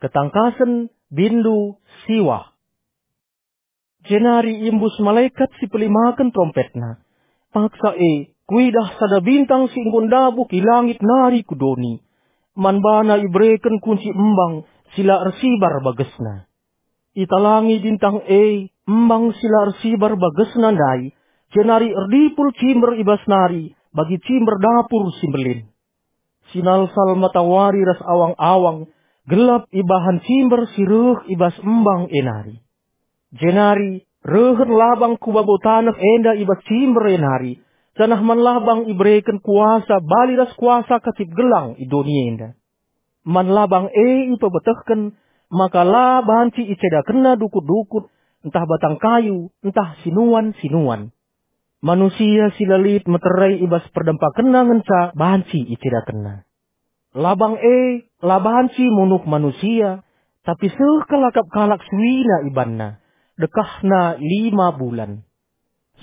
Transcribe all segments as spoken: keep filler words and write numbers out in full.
ketangkasen, bindu, siwah. Jenari iembus malekat si pelimaken terompetna. Paksa e, kuidah sada bintang si enggo ndabuh i langit nari ku doni. Man bana ibereken kunci embang si la ersibar bagesna. Italangi bintang e embang si la ersibar bagesna ndai, jenari erdipul cimber i bas nari bagi cimber dapur si mbelin. Sinalsal matawari ras awang-awang, gelap ibahan cimber si reh i bas embang e nari. Jenari rehen labang ku babo taneh enda i bas cimber e nari, janah man labang ibereken kuasa bali ras kuasa kacip gelang i doni enda. Man labang e ipebetehken maka la banci icedakenna dukut-dukut, ntah batang kayu, ntah sinuan-sinuan. Manusia si la lit meterai i bas perdempakenna ngenca banci icedakenna. Labang e la banci munuh manusia, tapi seh kal akap kalak suina ibanna, dekahna lima bulan.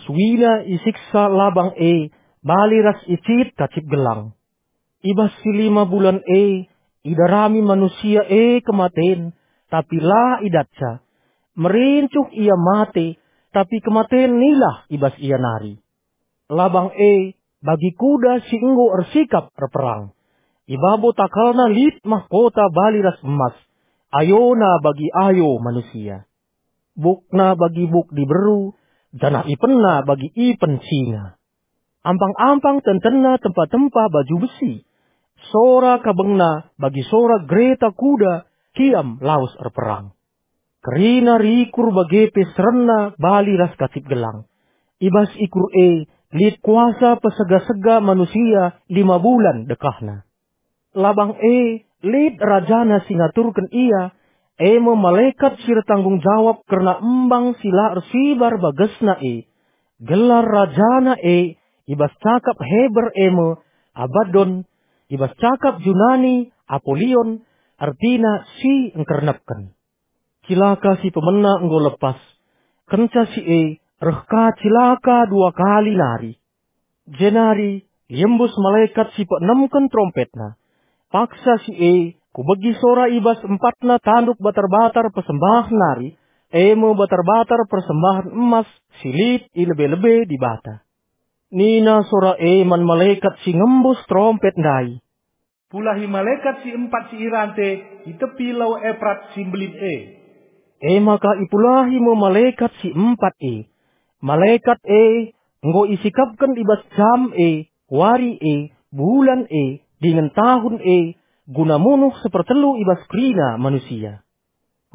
Suina isiksa labang e bali ras icit kacip gelang. I bas si lima bulan e, idarami manusia e kematen, tapi la idatca. Merincuh ia mate, tapi kematen nilah i bas ia nari. Labang e bagi kuda si enggo ersikap erperang. I babo takalna lit mahkota bali ras emas, ayona bagi ayo manusia. Bukna bagi buk diberu, janah ipenna bagi ipen singa. Ampang-ampang tentenna tempa-tempa baju besi. Sora kabengna bagi sora gereta kuda kiam lawes erperang. Kerina rikur bage pe serenna bali ras kacip gelang. I bas ikur e lit kuasa pesega-sega manusia lima bulan dekahna. Labang e lit rajana si ngaturken ia, e me malekat si ertanggung jawab kerna embang si la ersibar bagesna e. Gelar rajana e i bas cakap Heber e me Abaddon, i bas cakap Junani Apolion, ertina si engkernepken. Cilaka si pemena enggo lepas. Kenca si e reh ka cilaka dua kali nari. Jenari iembus malekat si peenemken terompetna. Paksa si e, kubegi sora i bas empatna tanduk batar-batar persembahen nari, e me batar-batar persembahen emas si lit i lebe-lebe Dibata. Nina sora e man malekat si ngembus terompet ndai, "Pulahi malekat si empat si i rante i tepi Lau Eprat si mbelin e." E maka ipulahi me malekat si empat e. Malekat e enggo isikapken i bas jam e, wari e, bulan e, dingen tahun e, guna munuh sepertelu i bas kerina manusia.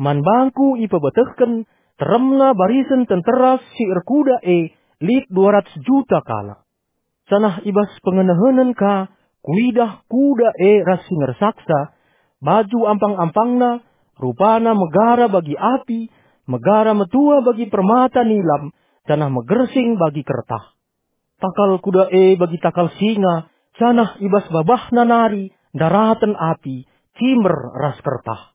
Man bangku ipebetehken teremna barisen tentera si erkuda e lit dua ratus juta kalak. Janah i bas pengenehenen ka kuidah kuda e ras si ngersaksa, baju ampang-ampangna, rupana megara bagi api, megara metua bagi permata nilam, janah megersing bagi kertah. Takal kuda e bagi takal singa, janah i bas babahna nari ndaraten api, cimber ras kertah.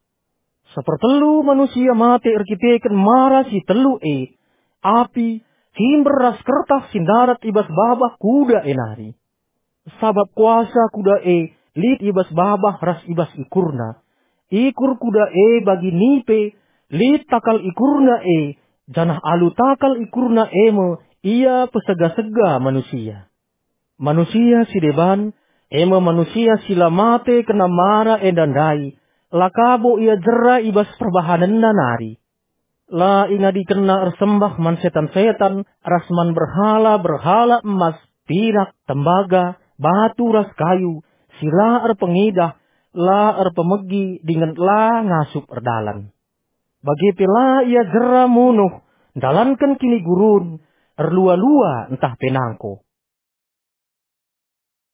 Sepertelu manusia mate erkiteken mara si telu e, api, cimber ras kertah si ndarat i bas babah kuda e nari. Sabap kuasa kuda e lit i bas babah ras i bas ikurna. Ikur kuda e bagi nipe, lit takal ikurna e, janah alu takal ikurna e me ia pesega-sega manusia. Manusia si deban, e me manusia si la mate kena mara enda ndai, la ka bo ia jera i bas perbahanenna nari. La ingadikenna ersembah man setan-setan ras man berhala-berhala emas, pirak, tembaga, batu ras kayu, si la erpengidah, la erpemegi dingen la ngasup erdalan. Bage pe la ia jera munuh, ndalanken kinigurun, erlua-lua ntah pe nangko.